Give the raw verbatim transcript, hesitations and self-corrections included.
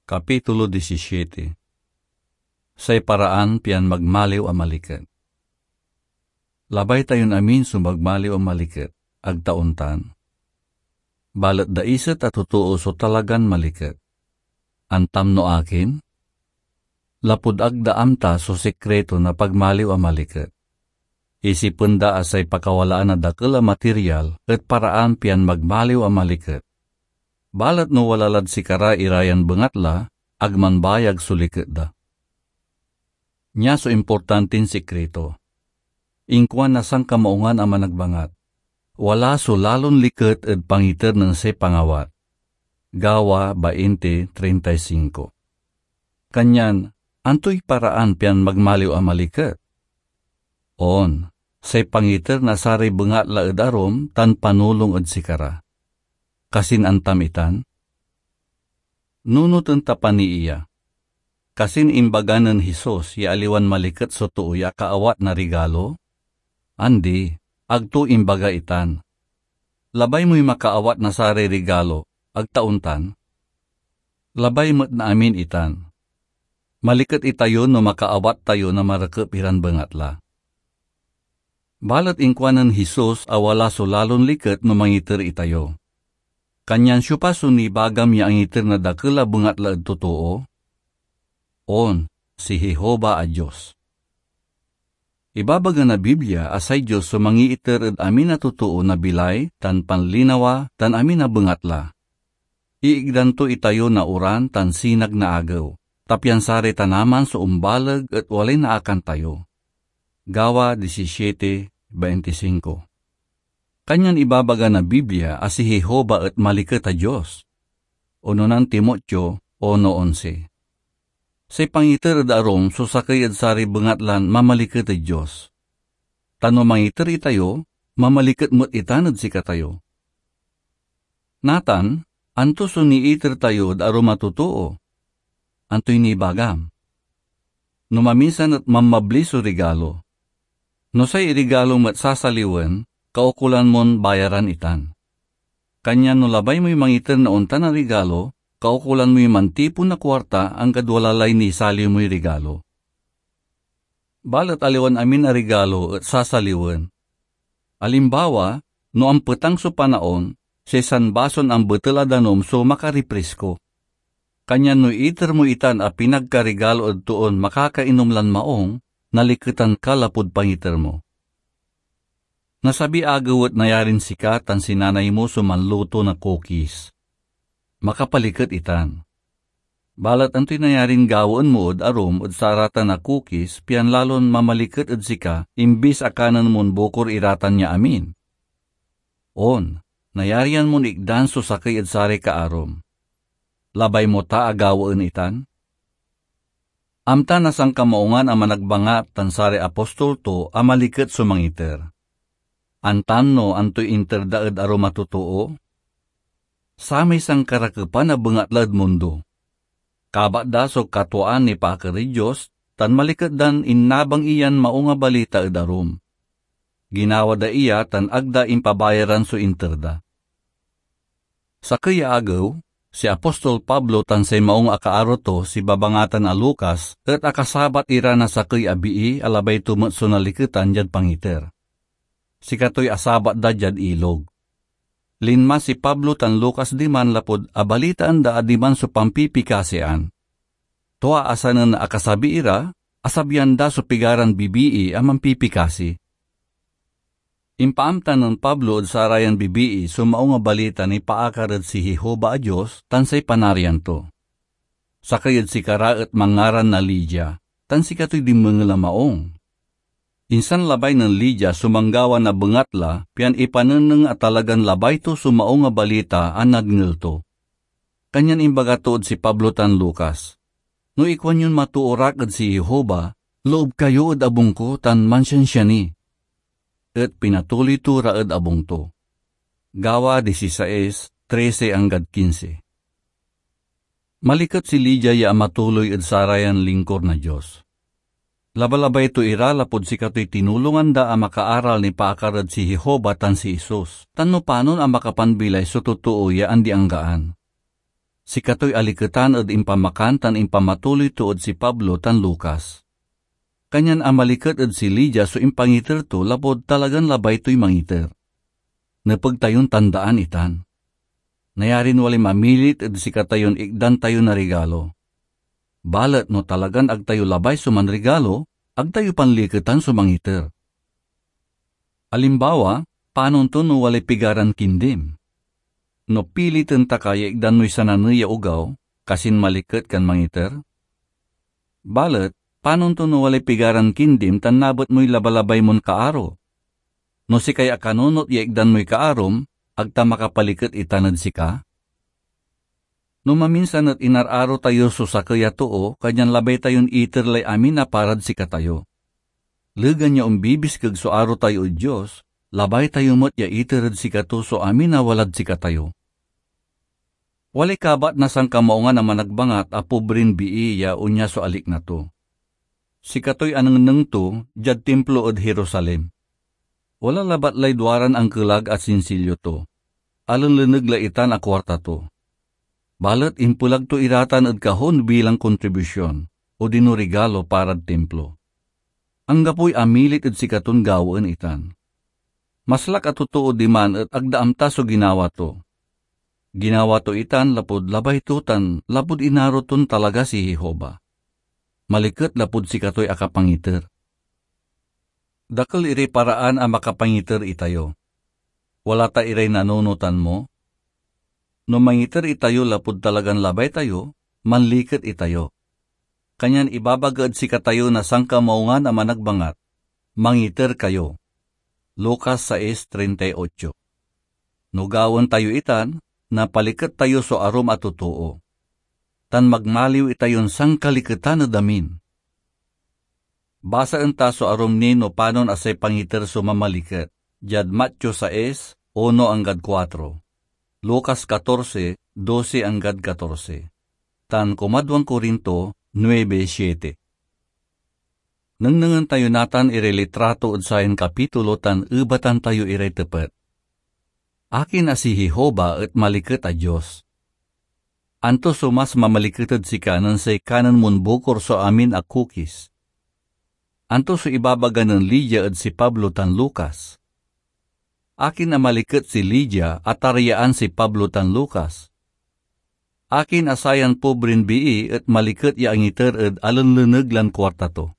Kapitulo disisiete. Say paraan pian magmaliw a maliket. Labay tayon amin so magmaliw a maliket, ag ta ontan? Balet daiset a totoo so talagan maliket. Antam no akin? Lapud ag da amta so sikriton pagmaliw a maliket. Isipen da a say pakawalaan na dakel a material et paraan pian magmaliw a maliket. Balet no wala lad sikara ira yan bengatla, ag manbayag so liket da. Nia so importantin sikrito. Inkuan na Sankamaungan a Managbangat, "Wala so lalon liket ed pangiter nen say pangawat." Gawa bainte treinta y cinco. Kanyan, antoy paraan pian magmaliw a maliket? On, say pangiter na saray bengatla ed arum tan panulong ed sikara. Kasin antam itan? Nunoten ta pani iya. Kasin imbaga nen Jesus ya aliwan maliket so too ya akaawat na rigalo? Andi, ag to imbaga itan. Labay moy makaawat na saray rigalo, ag ta ontan? Labay met na amin itan. Maliket itayo no makaawat tayo na marekep iran bengatla. Balet inkuanen Jesus a wala so lalon liket no mangiter itayo. Kanyan siopa so nibagam ya angiter na dakel a bengatla ed totoo? On, si Jehovah a Dios. Ibabaga na Biblia a say Dios so mangiiter ed amin a totoo na bilay tan panlinawa tan amin a bengatla. Iigdan to itayo na oran tan sinag na agew, ta pian saray tanaman so ombaleg et walay naakan tayo. Gawa disisiete veintisinko. Kanyan ibabaga na Biblia a si Jehovah et maliket a Dios. Unonan Timoteo uno onse. Say pangiter ed arum so sakey ed saray bengatlan mamaliket ed Dios. Ta no mangiter itayo, mamaliket met itan ed sikatayo. Natan, anto so niiter tayo ed arum a totoo? Antoy nibagam? No maminsan et manmabli so rigalo. No say irigalo met sasaliwen, kaukolan mon bayaran itan. Kanyan no labay moy mangiter na ontan a rigalo, kaukolan moy mantipon na kuarta anggad wala lay nisaliw moy rigalo. Balet aliwan amin a rigalo et sasaliwen. Alimbawa, no ampetang so panaon, say sanbason ambetel a danum so makariprisko. Kanyan no iter mo itan a pinagkarigalo ed toon makakainom lan maong, naliketan ka lapud pangiter mo. Nasabi agew et nayarin sika tan si nanay mo so manluto na cookies. Makapaliket itan. Balet antoy nayarin gawaen mo ed arum ed saratan a cookies pian lalon mamaliket ed sika imbis a kanen mon bukor iratan ya amin? On, nayarian mon ikdan so sakey ed saray kaarum. Labay mo ta a gawaen itan? Amta na Sankamaungan a Managbangat tan saray apostol to a maliket so mangiter. Antan no antoy inter da ed arum a totoo? Samay sankarakepan a bengatla ed mundo. Kabat da so katuaan nipaakar ed Dios, tan maliket dan innabang iyan Maung a Balita ed arum. Ginawa da iya tan ag da impabayaran so inter da. Sakey ya agew, si apostol Pablo tan say maung a kaaro to, si babangatan a Lucas, et akasabat ira na sakey a bii a labay to met so naliketan diad pangiter. Sikatoy asabat da diad ilog. Linma si Pablo tan Lucas diman lapud abalitaan da a diman so pampipikasian. Tua a sanen akasabi ira, asabian da so pigaran bibii a mampipikasi. Impaamta nen Pablo ed sarayan bibii so Maung a Balita nipaakar ed si Jehovah a Dios tan say Panarian to. Sakey ed sikara et manngaran na Lidia, tan sikatoy dinmengel a maung. Insan labay nen Lidia so manggawa na bengatla pian ipanengneng a talagan labay to so Maung a Balita a nadngel to. Kanyan imbaga to ed si Pablo tan Lucas, "No ikuan yon matoor ak ed si Jehovah, loob kayo ed abung ko tan mansiansia ni." Et pinatuloy to ra ed abung to. Gawa disisais, trese anggad kinse. Maliket si Lidia ya amatuloy ed sarayan lingkor na Dios. Labalabay to ira lapud sikatoy tinulongan da a makaaral nipaakar ed si Jehovah tan si Jesus, tan no panon a makapanbilay so totoo ya andi-anggaan. Sikatoy aliketan ed impamakan tan impamatuloy to ed si Pablo tan Lucas. Kanyan amaliket ed si Lydia so impangiter to lapud talagan labay toy mangiter. Nepeg tayon tandaan itan. Nayarin walay mamilit ed sikatayon ikdan tayo na rigalo. Balet no talagan ag tayo labay so manrigalo, ag tayo panliketan so mangiter. Alimbawa, panon to no walay pigaran kindim? No piliten ta ka ya ikdan moy sananey ya ogaw, kasin maliket kan mangiter? Balet, panon to no walay pigaran kindim tan nabet moy labalabay mon kaaro? No sikay akanunot ya ikdan moy kaarom, ag ta makapaliket itan ed sika? No maminsan et inar-aro tayo so sakey a too, kanyan labay tayon iter lay amin a parad sikatayo. Legan ya ombibiskeg so aro tayo ed Dios, labay tayo met ya iter ed sikato so amin a walad sikatayo. Walay kabat na sankamaungan a managbangat a pobrin bii ya onya so alikna to. Sikatoy anengneng to diad Timplo ed Jerusalem. Wala labat lay duaran angkelag a sinsilyo to. Alenleneg la itan a kuarta to. Balet impelag to iratan ed kahon bilang kontribusion, odino rigalo parad Timplo. Anggapoy amilit ed sikaton gawaen itan. Maslak a totoo diman et ag da amta so ginawa to. Ginawa to itan lapud labay to tan lapud inaro ton talaga si Jehovah. Maliket lapud sikatoy akapangiter. Dakel iray paraan a makapangiter itayo. Wala ta iray nanunotan mo? No mangiter itayo lapud talagan labay tayo, manliket itayo. Kanyan ibabaga ed sikatayo na sankamaungan a managbangat, "Mangiter kayo." Lucas sais treinta y ocho. No gawaen tayo itan, napaliket tayo so arum a totoo, tan magmaliw itayon sankaliketan ed amin. Basaen ta so arum ni no panon a say pangiter so mamaliket, diad Mateo sais, uno anggad kuatro, Lucas katorse, dosi anggad katorse, tan kumadwan Corinto nuebe siete. Nengnengen tayo natan iray litrato ed sayan kapitulo tan ebatan tayo iray tepet. Akin a si Jehovah et maliket a Dios? Anto so mas mamaliket ed sika nen say kanen mon bukor so amin a kukis? Anto so ibabaga nen Lydia ed si Pablo tan Lucas? Akin a maliket si Lydia a taryaan si Pablo tan Lucas? Akin a sayan pobrin bii et maliket ya angiter ed alenleneg lan kuarta to?